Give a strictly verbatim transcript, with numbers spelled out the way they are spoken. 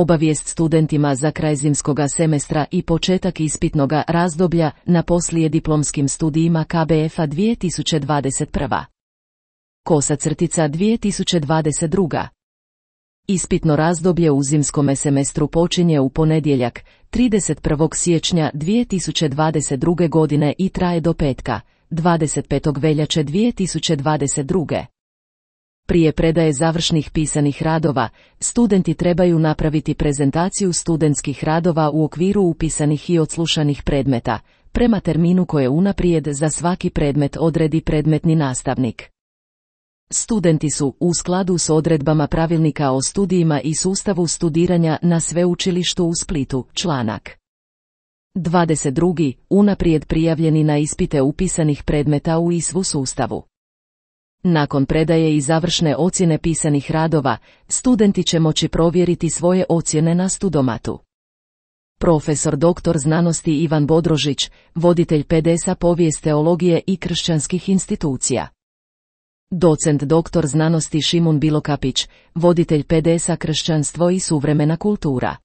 Obavijest studentima za kraj zimskoga semestra i početak ispitnoga razdoblja na poslijediplomskim studijima K B F-a dvije tisuće dvadeset prva. Kosa crtica dvije tisuće dvadeset druga. Ispitno razdoblje u zimskome semestru počinje u ponedjeljak, trideset prvog siječnja dvije tisuće dvadeset druge godine i traje do petka, dvadeset petog veljače dvije tisuće dvadeset druge. Prije predaje završnih pisanih radova, studenti trebaju napraviti prezentaciju studentskih radova u okviru upisanih i odslušanih predmeta, prema terminu koje unaprijed za svaki predmet odredi predmetni nastavnik. Studenti su, u skladu s odredbama pravilnika o studijima i sustavu studiranja na Sveučilištu u Splitu, članak dvadeset dva, unaprijed prijavljeni na ispite upisanih predmeta u I S V U sustavu. Nakon predaje i završne ocjene pisanih radova, studenti će moći provjeriti svoje ocjene na Studomatu. Profesor doktor znanosti Ivan Bodrožić, voditelj P D S-a povijest teologije i kršćanskih institucija. Docent doktor znanosti Šimun Bilokapić, voditelj P D S-a kršćanstvo i suvremena kultura.